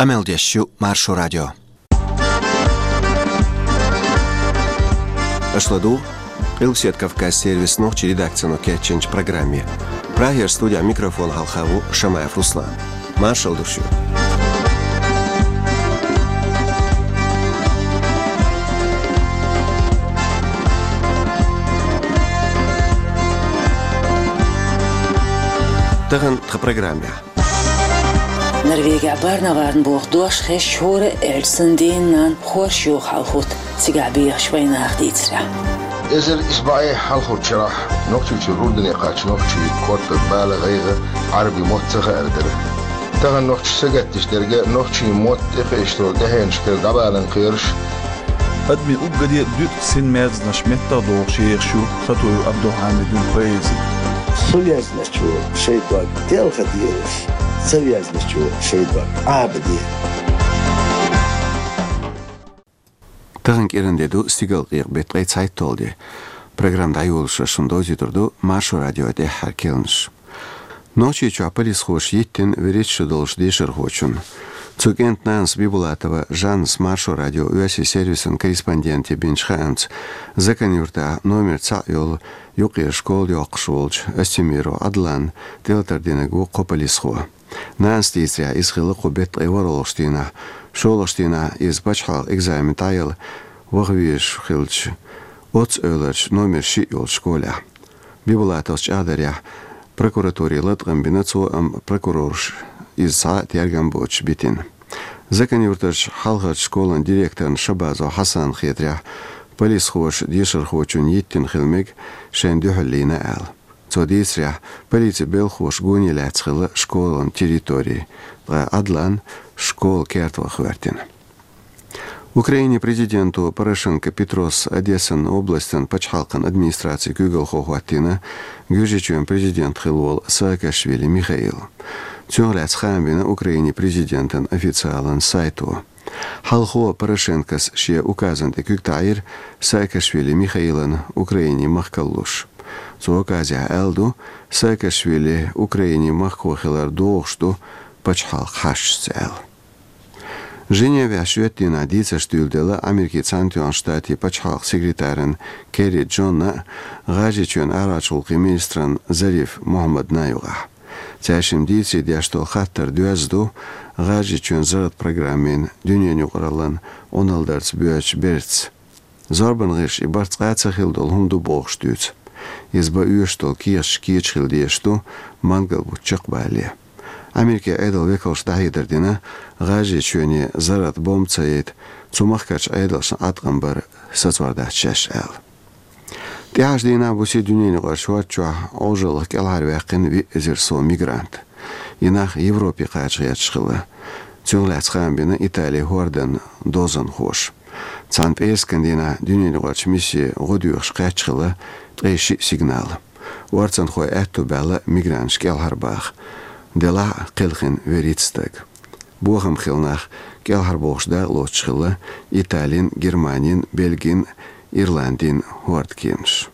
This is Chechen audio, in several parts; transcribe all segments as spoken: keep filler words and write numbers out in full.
Къамел деш ю Маршо радио. Аша ладугӀу Къилбаседа Кавказан сервисан нохчийн редакцино кечйинчу программе. Прагера студехь микрофон хьалха ву Шамаев Руслан. Маршалла ду шуьга. Тахана тхан программехь. Норвегехь Барневарна боху дош хезча, хӀора а аьлча санна, дена-нана хорша юха хьалхуьйту цигахь бехачу вайнаха дийцарехь. Эзар исс бӀе хьалхарчу шарахь Нохчийчуьра Урдане кхаьчна нохчийн корта бала, гӀайгӀа, Ӏаьрбийн мотт ца хаар дара. Тахана нохчаша сагатдеш дерг нохчийн мотт тӀекхуьуш долу тӀаьхьенашкара дӀабаларна кхераш. Адамийн уггаре а дуьтӀа син мерзанаш меттах дохуш ехаш ю Хатуев Абдулхьамидан поэзи. Со везначо шайн дог телха дезаш, ца везначо шайн дог Ӏаба де. Тахана кӀиран де ду, стигалкъекъа беттан ткъе цхьайтталгӀа де. Программа дӀайолош шуна довзуьйтур ду Маршо радион тӀаьххьара керланаш. Нохчийчохь полисхоша йиттина вуьрхӀитта шо долчу дешархочунна. Цу кӀентан нанас Бибулатова Жаннас Маршо радион оьрсийн сервисан корреспонденте бинчу хаамца, Закан-Юьртахь номер цхьаъ йолу юккъера школа йоккхуш волчу Астемиров Ӏадланна тӀелатар динарг ву кхо полисхо. Нанас дийцарехь, иза хилла кху беттан ткъе ворхӀалгӀачу дийнахь, шолгӀачу дийнахь иза пачхьалкхан экзамен дӀаяла ваха везаш хилча, оццу эвларчу номер шиъ йолчу школехь. Бибулатовс чӀагӀдарехь, прокуратуре латкъам бина цо, амма прокурорша иза цхьа а тергам боцуш битина. Закан-Юьртарчу хьалхарчу школан директорна Шабазов Хьасанна хетарехь, полисхоша дешархочунна йиттина хила мега шайна дуьхьал лийна аьлла. Цо дийцарехь, полицин белхахоша гоне лаьцна хилла школан территори, ткъа Ӏадлан школа керта ваха гӀоьртина. Украинин президенто Порошенко Петрос Одессан областан пачхьалкхан администрацин куьйгалхо хӀоттийна Гуьржийчоьнан президент хилла волу Саакашвили Михаил. Цунах лаьцна хаам бина Украинин президентан официалан сайто. Хьалхо Порошенкос шен указан тӀе куьг таӀийра Саакашвили Михаилна Украинин махка луш. Цу указехь аьлла ду, Саакашвили Украинин махко хилар догӀуш ду пачхьалкхан хьашташца аьлла. Женевехь шоьтан дийнахь дийцарш дуьйладелла Америкин Цхьаьнатоьхначу Штатийн пачхьалкхан секретарна Керри Джонна а, ГӀажарийчоьнан арахьарчу гӀуллакхийн министрна Зариф Мухьаммадна а юкъахь. Цаьршимма дийцаре деш долу хаттар доьзна ду ГӀажарийчоьнан зарратан программин дуьненан юкъараллин Ӏуналдарца боьдучу бертаца. Зорбанан гӀирсаша и барт цкъа а ца хилла долу хӀума ду бохуш дуьйцу. Иза бан оьшуш долу кехаташ кечам хила дезаш ду мангал бутт чекхбалале. Америкин Ӏедалан векалша дӀахьедар дина, ГӀажарийчоьне зарратан бомба ца яйта, цу махкарчу Ӏедалшна Ӏаткъам бар сацор дац шаьш аьлла. ТӀаьхьарчу дийнахь буьйсанна дуьненаюкъарчу хӀорда чохь Ӏожаллах кӀелхьарваьккхина виъ эзар сов мигрант. И нах Европе кхача гӀерташ хилла. Цунах лаьцна хаам бина Италин хӀордан дозанхоша. Цхьана пӀераскан дийнахь дуьненаюкъарчу миссино гӀо доьхуш кхаьчна хилла ткъе шиъ сигнал. Орцанхой аьтто баьлла мигранташ кӀелхьарбаха. Делахь а кхелхина вуьрхӀитта стаг. Бохам хилла нах кӀелхьарбохуш дакъалоцуш хилла Италин, Германин, Бельгин, Ирландин хӀордан кеманаша.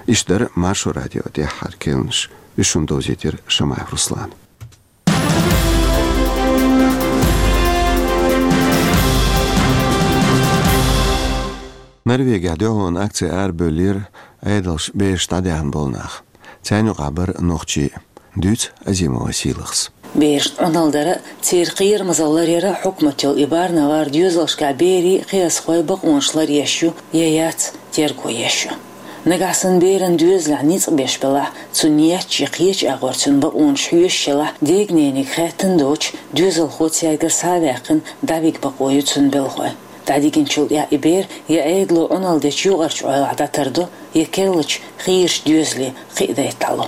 Иштта дара Маршо радион тӀаьххьара керланаш. Уьш шуна довзийтира Шамаев Руслана. Норвегехь дуьхьалонан акци арабевллера Ӏедалша бераш дӀадаьхна болу нах. Царна юкъахь бара нохчий а. Дуьйцу Азимова Сийлахьас. Берашна Ӏуналла дар а, церан кхерамазалла ларъяр а хьукматан йолу и Барневар доьзалшкахь берийн, кхиазхойн бакъонаш ларъеш ю я яц, терго еш ю. Нагахь санна беран доьзалехь ницкъ беш белахь, цунна етташ я кхечу агӀор цуьнан бакъонаш хьоьшуш елахь, дегнениг хаьттина доцуш, доьзалхо цаьргара схьа а ваьккхина, дӀавига бакъо ю цуьнан белхойн. ДӀадигначул тӀаьхьа и бер я Ӏедало Ӏуналла дечу юкъарчу Ӏойлахь дӀатардо, я керлачу хийрачу доьзале кхиадайта дӀало.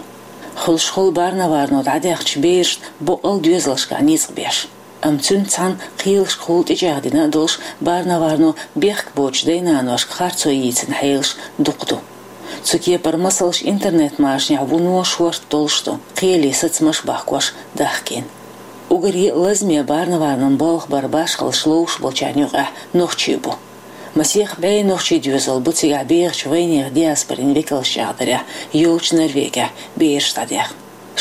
Хуьлуш хуьлу Барневарно дӀадаьхначу берашна боккъал доьзалшкахь ницкъ беш. Амма цуьнца цхьаьна кхелашкахула тӀечӀагӀдина а долуш, Барневарно бехк боцучу дай-наношка харцо йийцина хьелаш дукха ду. Цу кепара масалш интернет-машанехь вуно шорта долуш ду, кхеле сацамаш а бахкош дахкийна. Уггаре а лазаме Барневарнан болх баран башхаллаш ловш болчарна юкъахь нохчий бу. Масех бӀе нохчийн доьзал бу цигахь бехачу вайнехан диаспорин векалша чӀагӀдарехь йолчу Норвегехь бераш дӀадаьхна.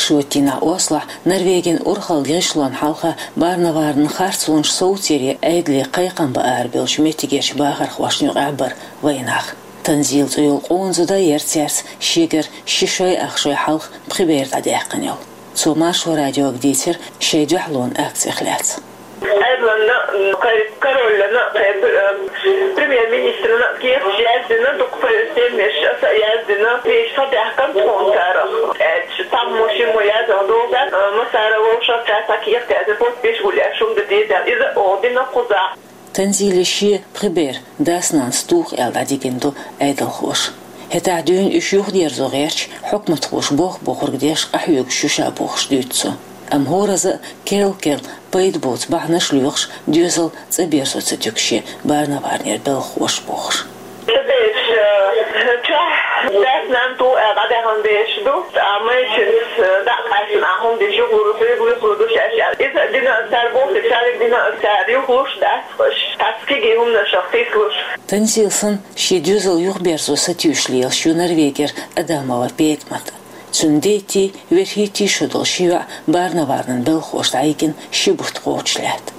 Шоттийнахь Ослохь Норвегин урхалла гӀишлон хьалха Барневарнан харцонаш совцаре Ӏедале кхайкхам баара бевллачу меттигерчу бахархошна юкъахь бара вайнах. Танзила цӀе йолу къонах зуда яра цаьрца шегара ши шой ах шой хьалха пхи бер дӀадаьккхина йолу. Цо Маршо радиога дийцира шайн дуьхьалонан акцех лаьцна. Ӏедална, кхайн короллана, кхайн пр-, э, премьер-министрана кехаташ яздина, дукха пр-, стеннаш аса а яздина, тешаш схьадаьхкина тхуна царах. Аьлча, цхьаммо шиммо яздина долу дац, э, массара вовшах цаьрца кехат яздина, подписаш гулъеш хӀума дан деза, иза а оха дина кхузахь. Танзиле шен пхи бер дас-нанас туху аьлла дӀадигина ду Ӏедалхоша. ХӀетахь дуьйна уьш юхадерзо гӀерташ, хьукматхоша боху-бохург деш къахьоьгуш ю ша бохуш дуьйцу цо. Амма хӀоразза а керл-керла пайда боцу бахьанаш лоьхуш, доьзал цӀа берзо ца туьгу шен Барневарнера белхахоша бохуш. Ца бераш, э, чохь дас-нана туху аьлла дӀадаьхна бераш ду, ткъа майрачуьнца, э, дӀа а къаьстина, ахь хӀума деш юхалур, хьоьга юхалур ду шаьш аьлла. Иза а дина аса цара боху, цаьрга дина аса цара юхалуш дац. Аш цхьацца кегий хӀуманашах тислуш. Танзила санна, шен доьзал юхаберзо сатуьйсуш лелаш ю Норвегера Адамова ПетӀамат. Цуьнан дейтий, верхӀийтий шо долу ши йоӀ Барневарнан белхахоша дӀайигна ши бутт кхочуш лаьтта.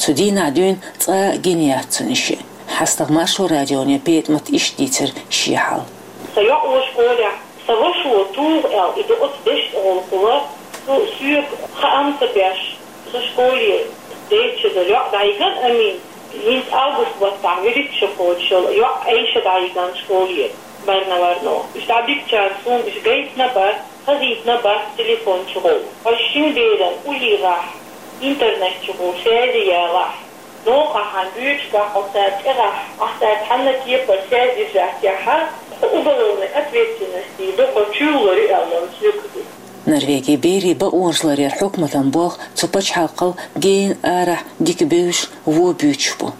Цу дийнахь дуьйна цкъа а гина яц цуьнан шиъ. ХьастагӀа Маршо радионе ПетӀамата иштта дийцира шен хьал. Сан йоӀ ву школехь, сан вашас ву туху аьлла, и ду оцу дешна тӀе гӀуллакхула, цо соьга хаам ца беш, сан школе дейтта шо долу йоӀ дӀайигна Амин. ХӀинца август баттахь вуьрхӀитта шо кхочуш йолу йоӀ Ӏайша дӀайигна школе Барневарно. Уьш дӀабигчара суна уьш гайтина бац, хазийтина бац телефон чухула. Хьо шина беран уллехь, интернет чухула связи ялахь, новкъахь хьайн буьйцуш бахь хьо цара тӀехь, ахь цаьрца хьанна кепара связь держать яхь, хьо уголовный ответственности ду, хьо чуьйлалур ю аьлла, соьга ду. Норвегин берийн бакъонаш ларъяран хьукматан болх цу пачхьалкхал гена арахь дика бевзаш, вон буьйцуш бу.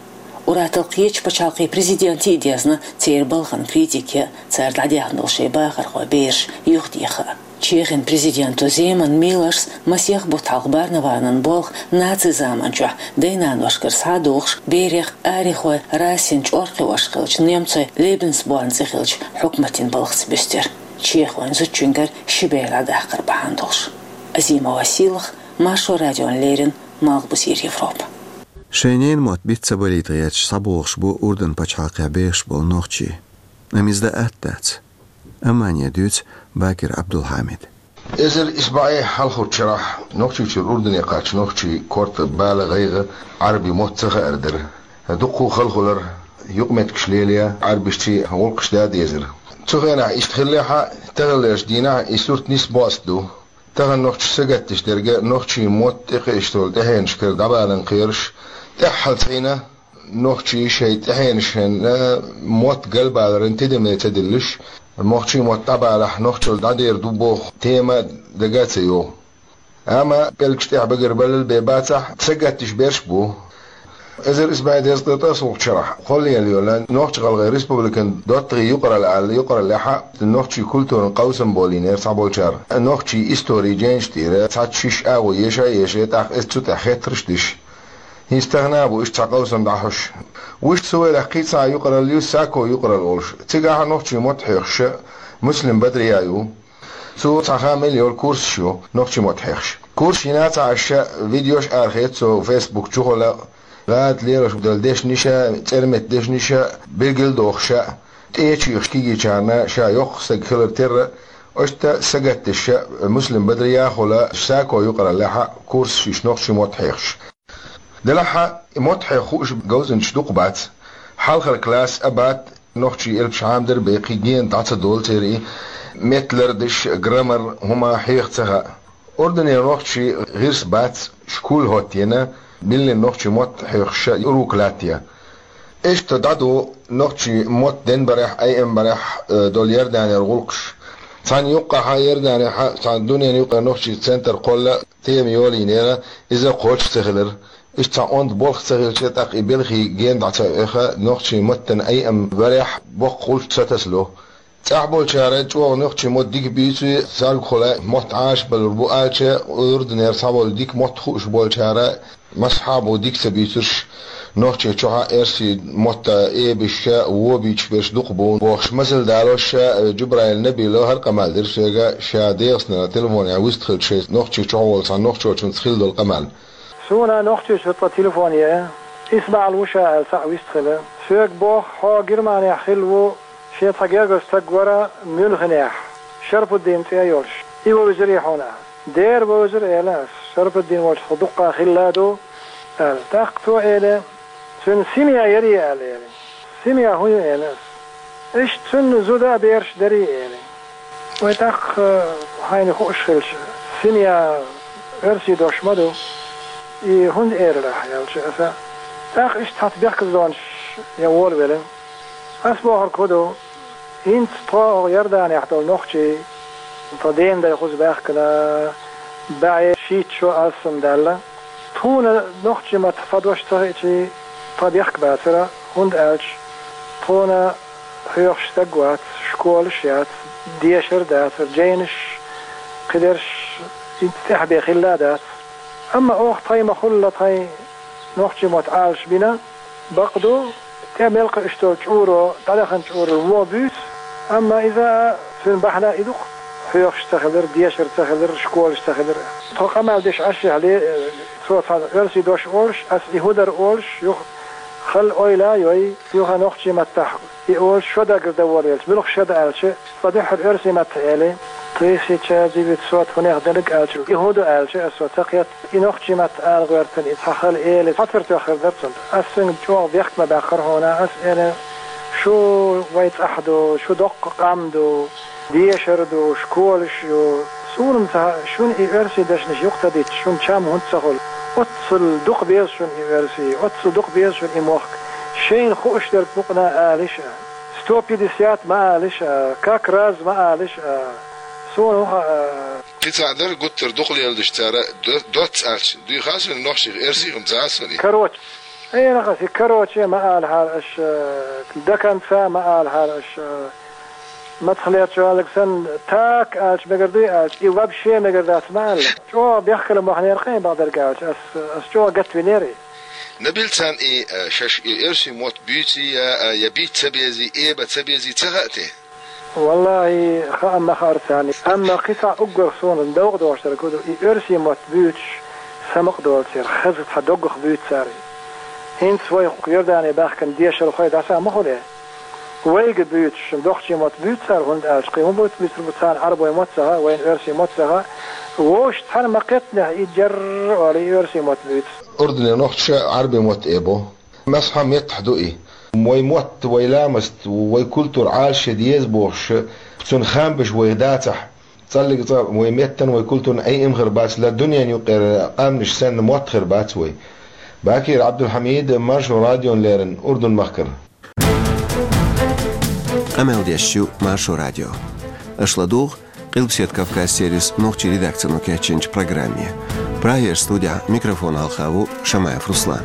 Ур-атталла кхечу пачхьалкхийн президентийн а дезна церан балхана критика ян, цара дӀадаьхна долу шайн бахархой бераш юхадеха. Чехин президенто Земан Милоша масех бутт хьалха Барневарнан болх нацийн заманчохь дай-наношкара схьа а дохуш, берех арихой расин чӀор кхиош хиллачу немцойн Лебенсборн цӀе хиллачу хьукматийн балхаца буьстира. Чехойн зудчуьнгара ши бер дӀадаккхар бахьана долуш. Азимова Сийлаха, Маршо радиона леррина, Малхбузера Европа. Шайн ненан мотт биц ца балийта гӀерташ схьабогӀуш бу Урдан пачхьалкхехь бехаш болу нохчий. Амма иза дан атта дац. Аммане дуьйцу Бакир Абдулхьамида. Эзар исс бӀе хьалхарчу шарахь Нохчийчуьра Урдане кхаьчна нохчийн корта, бала, гӀайгӀа, Ӏарбийн мотт ца хаар дара. Дуккха а хала хилар, юкъаметтигаш лелаян, Ӏарбашций гӀуллакхаш дан а дезара. Цу хенахь иштта хиллехь а, таханлерчу дийнахь и сурт нисбост ду. Тахана нохчаша сагатдеш дерг нохчийн мотт тӀекхуьуш долу тӀаьхьенашкара дӀабаларна кхераш, тӀаьххьалцӀена нохчийн шайн тӀаьхьенашна мотт галбаларан тидаме ца диллаш, нохчийн мотт дӀабалахь, нохчалла дӀадер ду боху тема дага а ца йогӀу. Амма пӀелгаш тӀехь багарбаллал бен бацахь, сагатдеш берш а бу. Эзар исс бӀе дезткъе ткъайоьсналгӀачу шарахь кхоллаелла йолу Нохч-ГӀалгӀайн Республикан доттагӀийн юкъаралла аьлла юкъараллехь а нохчийн культуран къовсам болийнера цхьаболчара, нохчийн историн жайнаш тӀера цхьацца шиш агӀо еша а еший, тӀаккха иза цу тӀехь хеттарш а деш. ХӀинца тахана а бу иштта цхьа къовсам дӀахьош. Вуьшта цу вайлахь кхин а цхьа юкъаралла ю, Сако юкъаралла олуш. Цигахь а нохчийн мотт хьоьхуш Муслим Бадрия ю. Цо цхьа хаам мел йолу курсаш ю нохчийн мотт хьоьхуш. Курсаш йина а ца Ӏаш, видеош арахеца цо Facebook чухула, гӀада лелош долу дешнаш а, цӀерметта дешнаш а билгал а дохуш, тӀе а чуьйхуш кегийчарна ша йоккха стаг хилар терра, иштта сагатдеш Муслим Бадрия а хуьлу Сако юкъараллехь а курсаш йеш нохчийн мотт хьоьхуш. Делахь а, и мотт хьоьху хууш говзанчаш дукха бац. Хьалхара класс а бац, нохчийн элпаш хьамдар а бен, кхин гена дӀа ца долу церан и, меттан лардаш, граммар, хӀума хьеха ца хаьа. Урданера нохчий гӀирс бац, школ хӀоттийна, биллина нохчийн мотт хьоьхуш урок латтаян. Иштта дӀадо нохчийн мотт денбарехь, айъинбарехь, э, долу Иорданера гӀуллакхаш. Цхьана юккъехь Иорданехь, цхьана дуьненан юккъера нохчийн центр кхолла тема йолийнера, иза кхочуш ца хилира. Иштта цхьа онда болх ца хилча, тӀаккха и белхий гена дӀа ца оьху, нохчийн маттана айъинбарехь боккха гӀулч ца тасало. ЦӀахь болчара чӀогӀа нохчийн мотт дика буьйцу, царгахула мотт Ӏашбалур бу аьлча, Урданера цхьаболу дика мотт хууш болчара, массахьа а бу дика ца буьйцурш, Нохчийчохь а эрсийн мотт эбаш а, вон а буьйцуш берш дукха бу бохуш, масал далош а, Джубраил Набилов хӀара къамел дира соьга, ша ДегӀастанера телефонехь вистхилча, шайца Нохчийчохь волу цхьана нохчочуьнца хилла долу къамел. Суна Нохчийчуьра тхан телефон е, ИсмаӀал ву ша аьлла, цхьаъ вистхилла. Соьга боху, хьо Германехь хилла ву, шен цхьа гергара стаг вара Мюнхенехь, Шарпуддин цӀе йолуш. И вевзарий хьуна? Дера вевзара, элира ас. Шарпуддин волчу тхо дуккха хилла ду, аьлла. ТӀаккха цо элира, цуьнан семья ярий, аьлла, элира. Семья хӀун ю, элира ас. Иштта цуьнан зуда а, бераш а дарий, элира. Вай тӀаккха, хьайна хууш хилча, семья оьрсийн дош ма ду, и хӀунда элира ахь, аьлча аса. ТӀаккха иштта цхьацца бехказлонаш ян волавелира. Ас бохург хӀун ду, хӀинца тхо хӀокху Иорданехь долу нохчий, тхан ден дай кхуза баьхкина, бӀе шийтта шо алсамдаьлла. Тхуна нохчийн маттахь цхьа дош ца хиъчий, тхо бехк бацара, хӀунда аьлча тхуна хьоьхуш стаг вац, школаш яц, дешар а дацара, жайнаш, кхидерш, хӀинца тӀаьхьа бен хилла а дац. Амма оха тхайн ма-хуьллу тхайн нохчийн мотт Ӏалашбина, бакъ ду, тӀе мел кхуьуш долу чӀуро, дӀадахана чӀурал вон буьйцу, амма иза а, цуьнан бахьана и ду-кх, хьоьхуш ца хилар, дешар ца хилар, школаш ца хилар. Тхо къамел деш Ӏаш а хьале, цо цхьана оьрсийн дош олуш, ас и хӀун дара олуш, юха хала ойла а йой, юха нохчийн маттахь и олуш, шо даггара дан волавелча, муьлха шо дан аьлча, цкъа дуьххьара оьрсийн маттахь элира, тысяча девятьсот хӀунех дерг аьлча, и хӀун ду аьлча, аса ца кхетта. И нохчийн маттахь ала гӀоьртина, и цхьа хала эли, хьацар тоьхна хир дара цунна. Ас цуьнга чӀогӀа бехк ма баьккхира хьуна, ас элира, шу вайн цӀахь ду, шу доккха къам ду, дешар ду, школаш ю. Суна-м ца хаьа, шуна и оьрсийн дешнаш юха ца дитча, шуна чам хӀунда ца хуьлу? Оццул дукха беза шуна и оьрсийн, оццул дукха беза шуна и мохк. Шайна хууш дерг мукъана алийша. Сто пятьдесят ма алийша, как раз ма алийша. Суна хӀун хаьа? Кхин цхьаъ дара, гуттар а дукха леладеш цара до-, доцца аьлча, дуй хаьа суна нохчийн, оьрсийн хӀума ца хаьа суна и. Короче. Ай, нах аса, короче ма алахьара аша, до конца ма алахьара аша. Мацхалерчу аьлларг санна, так аьлча мегар дуй аьлча, и вообще мегар дац ма аьлла. ЧӀогӀа бехкала мохь неркъе бакъдерг аьлча, ас, ас чӀогӀа гатвинера и. Набил, царна и, э, шаьш и оьрсийн мотт буьйций я, э, я бийца ца безий, эба ца безий ца хаьа те? Валлахи, хаа ма хаьара царна. Амма кхин цхьа уггар суна довкъа догӀуш дерг хӀун ду, и оьрсийн мотт буьйцуш самукъа долу церан хаза цхьа доггах буьйцу цара. ХӀинца вай Иордане баьхкина дешархой дӀаса ма хуьлу. Вайга буьйцуш, нохчийн мотт буьйцу цара, хӀунда аьлча кхин хӀун буьйцур бу царна, Ӏарбойн мотт ца хаьа, вайна оьрсийн мотт ца хаьа. Вовшашца цхьаьна ма кхетта, и джарра олий оьрсийн мотт буьйцу. Урдане нохчаша Ӏарбийн мотт эбо. Массо а меттахь ду и. Вай мотт, вай ламаст, вай культура Ӏалашъян деза бохуш, цунна хам беш вайх дацахь, цкъа а вай меттан, вай культуран Ӏе-Ӏема хир бац, ла дуьненан юкъара къаьмнаш санна мотт хир бац вай. Бакир Ӏабдулхьамид, Маршо радиона леррина, Урдун-махкара. Къамел деш ю Маршо радио. Аша ладугӀу Къилбаседа Кавказ сервисан нохчийн редакцино кечйинчу программе. Прагера студехь микрофон хьалха ву Шамаев Руслан.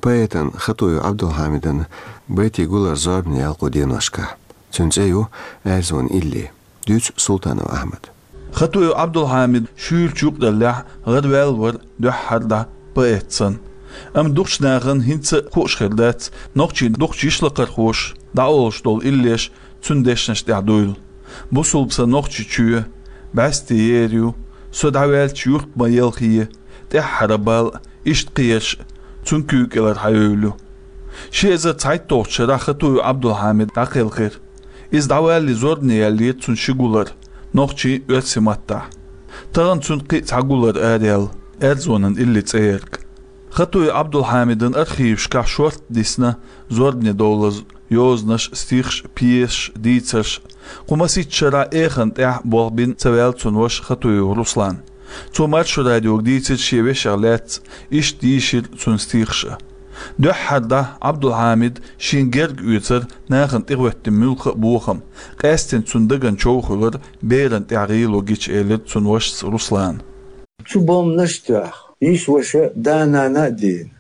Поэтан Хатуев Ӏабдулхьамидан байтийн гулар зорбане ялкъо деношкахь. Цуьнан цӀе ю «Аьрзонан илли». Дуьйцу Султанов Ахьмада. Хатуев Ӏабдулхьамид шуьйрачу юкъараллехь гӀараваьлла вара дуьххьара дӀа поэт санна. Амма дукхачу нахана хӀинца а хууш хир дац, нохчийн дукхачу йишлакхархоша дӀаолуш долу иллеш цуьнан дешнаш тӀехь дуйла. Бусулба сан Нохчийчоь, бӀаьсте ер ю, со дӀаваьлча юрт ма елхае, тӀаьххьара бала, иштта кхераш а цуьнан куьйга кӀелара хьаевлла ю. Ши эзар цхьайтталгӀачу шарахь Хатуев Ӏабдулхьамид дӀакхелхира. Иза дӀавалале зорбане яьллера цуьнан ши гулар нохчийн, оьрсийн маттахь. Тахана цуьнан кхин а цхьа гулар араяьлла, «Аьрзонан илли» цӀе ярг. Хатуев Ӏабдулхьамидан архивашкахь шортта дисна зорбане довлаза йозанаш, стихаш, пьесаш, дийцарш. Кху масийтта шарахь эханна тӀехь болх бина ца ваьлла цуьнан ваша Хатуев Руслан. Цо Маршо радиога дийцира шен вешех лаьцна, иштта йийшира цуьнан стихаш а. Дуьххьара дӀа Ӏабдулхьамида шена герга оьцура нахана тӀехӀоьттина муьлхха а бохам, къаьсттина цуьнан дагна чов хуьлура, берана тӀехь гӀело гича, элира цуьнан вашас Руслана. Цу бомбанаш а тоьхна, йиша-ваша, да-нана а дийна,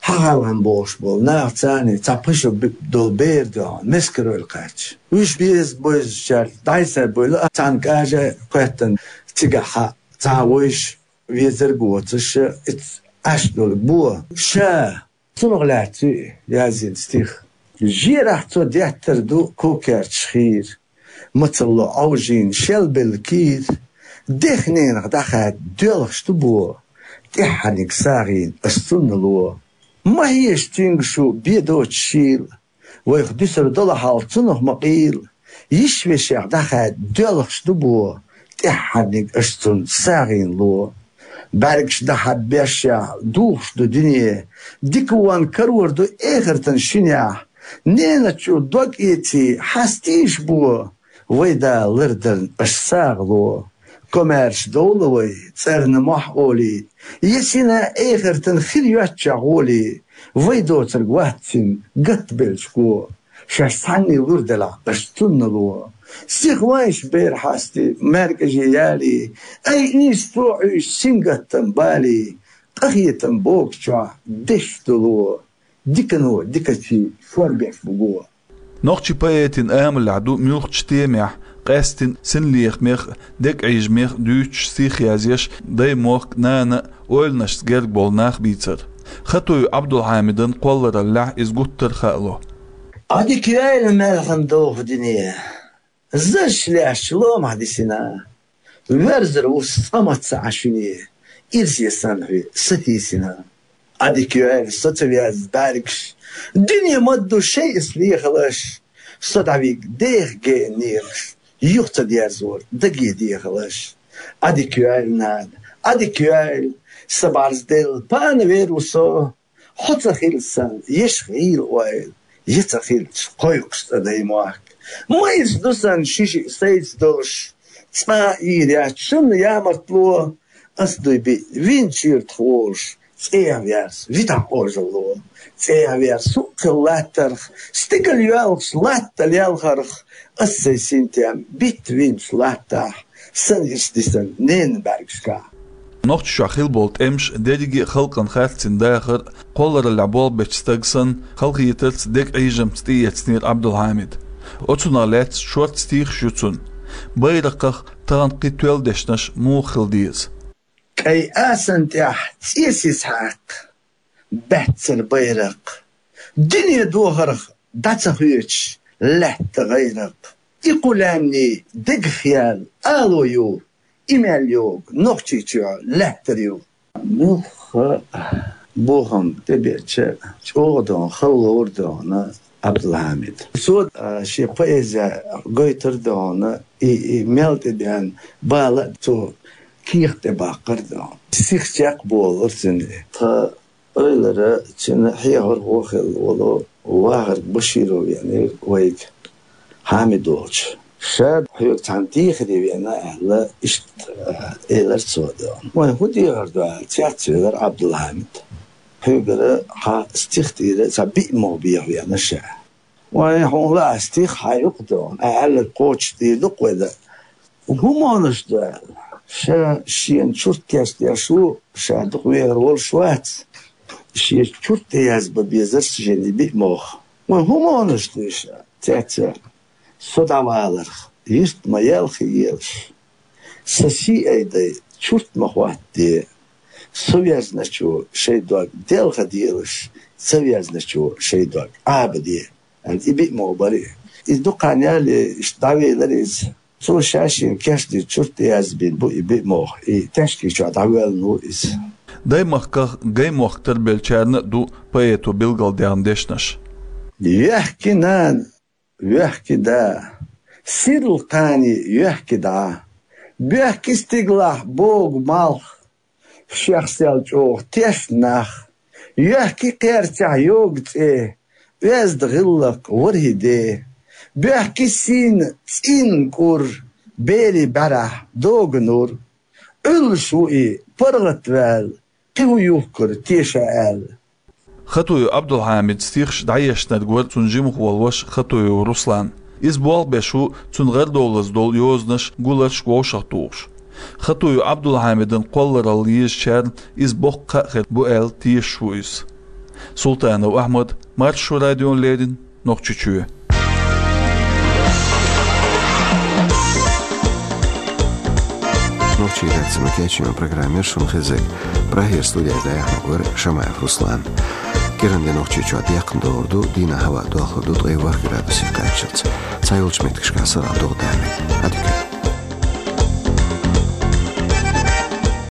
хьахалхана бохуш болу нах, царна цхьа пхи шо би-, долу бер а доьгӀна, мискаройла кхаьчча. Уьш беза-бевзачаьрга дӀасабевлла, цхьана кӀажа а кхоьттина, цигахь цхьа вуьйш везарг воцуш, иц Ӏаш долу бо. Ша цунах лаьцна язйина стих. Жерахь цо деттар ду кукерчаш хийра. Мацалло Ӏовжийна шел белла кийра. Дех-ненах дӀахаьдда доьлхуш ду бо. ТӀаьххьарниг сагӀийна аш цунна ло. Ма хьеша цуьнга шу бен доцуш шийла. Вайх дуьсур долу хьал цунах ма къийла. Йиш-вешех дӀахаьдда доьлхуш ду бо. ТӀаьххьарниг аш цунна сагӀийна ло. БӀаьргаш дахьа бешшехь духуш ду дуьне. Дика вон карор ду эхартан шинехь. Ненан чу дог эций хьастийша бо. Вай Дала лардарна аш сагӀа ло. Комаьрша довла вай, цӀарна мохь олий. Я сина эхартан хир йоьттачохь гӀолий. Вай доцург вац цуьнан гатта беллачу го. Шаьш цхьанний лур делахь, аш цунна ло. Сиха вайша бер хьастий, маьркӀажий ялий. Ай ийса цо Ӏуьйсу сингаттам балий. Къахетам богучохь деш ду ло. Дикано дикачий шорбеш бу го. Нохчийн поэтийн амалехь ду муьлххачу темех, къаьсттина синлехамех, дегӀийжамех дуьйцуш стих язъеш дай-мохк, нана а, ойланашца герга болу нах бийцар. Хатуев Ӏабдулхьамидан кхоллараллехь иза гуттар а хаало. Ӏадика йойла маьлхан доху дуьне. Зазаш лаьшча ломахь дисина. Верзар ву цкъа маца Ӏа шуьне, ирсе санна хьуьй сатийсина. Ӏадика йойла со ца веза бӀаьргаш, дуьне ма ду шайас лехалаш. Со дӀавиг деха гена нехаш, юха ца дерзор даге дехалаш. Ӏадика йойла, нана, Ӏадика йойла, сан бӀарзделла пана вер ву со. Хьо ца хилла санна, еш гӀийла ойла, я ца хилча, кхойкхуш цӀа дай-мохк. Ма иза ду санна ши-шиъ сайца долуш, цкъа а ийр яц шуна ямартло. Ас дуй биъ вин чуьртах волуш, цӀех верс витахь Ӏожалло. ЦӀех верс хӀуъа хилла латтарх, стигала йоьлхуш латта лелхарх, ас сайн синтем битта винчу латтахь, сан ирс дисан ненан бӀаьргашкахь. Нохчийчохь хилла болу тӀемаш дерриге а халкъана харцдина дахар а, кхоллараллехь болх бечу стага санна, халахетарца, дегӀийжамца тӀеэцнера Ӏабдулхьамида. Оцунах лаьцна шорта стихаш ю цуьнан. Байракхах тахана кхин тоьлла дешнаш муха хила деза? КӀай асана тӀехь цӀе сиз хьаккха, баьццара байракх. Дуьне дохарх дӀа ца хоьцуш, лаьтта гӀайракх. И кху лаьмнийн дегах яьлла ало ю, и мел йогу Нохчийчохь лаьттара ю. Муьлхха бохам тӀебеача, чӀогӀа дона, хала ловра дона Ӏабдулхьамид. Цо, а, шен поэзия гойтура дона, и, и мел тӀебеана бала а цо кехат тӀе баккхара дона. Сиха чекхболура цуьнан. Тхан Эвлара цуьнан хьехархо хилла волу вахарг Баширов веанера вайга, Хьамид волчу. Ша хьоьга цхьана дехаре веана аьлла, иштта, а, элира цо дона. Вайн хӀун дехар ду аьлла, цецвелира Ӏабдулхьамид. Хьоьгара хьан стих тӀера цхьа биъ могӀа беха веана ша. Вайн хьуна лаахь стих хьан юкъа дона, ахь аьлларг кхочушдийр ду-кх вай дан. ХӀун могӀанаш ду аьлла? Ша шена чурт кечдеш ву, ша дукха вехар волуш вац. Шен чурт тӀе язбан безара шена и биъ могӀа. Вайн хӀун могӀанаш ду ша? Цецвелира. Со дӀаваларх, юьрт ма елхаелаш. Сан сий айдай, чурт ма хӀоттаде. Со везначо шайн дог делхаделаш, ца везначо шайн дог Ӏабаде. И биъ могӀа бара. Иза дукха хан яьлла, иштта дӀавелира иза. Цо ша шена кечдина чурт тӀе язбина бу и биъ могӀа, и тешкий чохь дӀавоьллина ву иза. Даймахках гай-мохк тарбеллачарна а ду поэто билгалдаьхна дешнаш. Йоьхки нана, воьхки да, сирла кхане йоьхки дӀа. Боьхки стигалахь богу малх, шех сел чӀогӀа тешна нах. Йоьхки кхерчахь йогу цӀе, оьзда гӀиллакх ворхӀе де. Боьхки сийна цӀийнан кӀур, берийн бӀаьрахь догу нур. Ӏуьллуш ву и паргӀатваьлла, кхин хӀун юхкура теша аьлла. Хатуев Ӏабдулхьамидан стихаш дӀаешнарг вара цуьнан жимахволу ваша Хатуев Руслан. Иза болх беш ву цуьнан гӀарадовлаза долу йозанаш, гуларш вовшахтухуш. Хатуев Ӏабдулхьамидан кхолларалла езачарна иза боккха кхаъ хир бу аьлла тешаш ву иза. Султанов Ахьмад, Маршо радиона леррина, Нохчийчоь. Редакцин кечино программер шун хезек. Прагера студия даяхьнагур Шамаев Руслан. Киран де Нохчийчоа декхна догӀур ду, дийнахьа хӀаваъ дохлур ду ткъе ворхӀ градусе кхаччалц. Цхьайолчу меттигашкахь сарахь догӀа даьлла.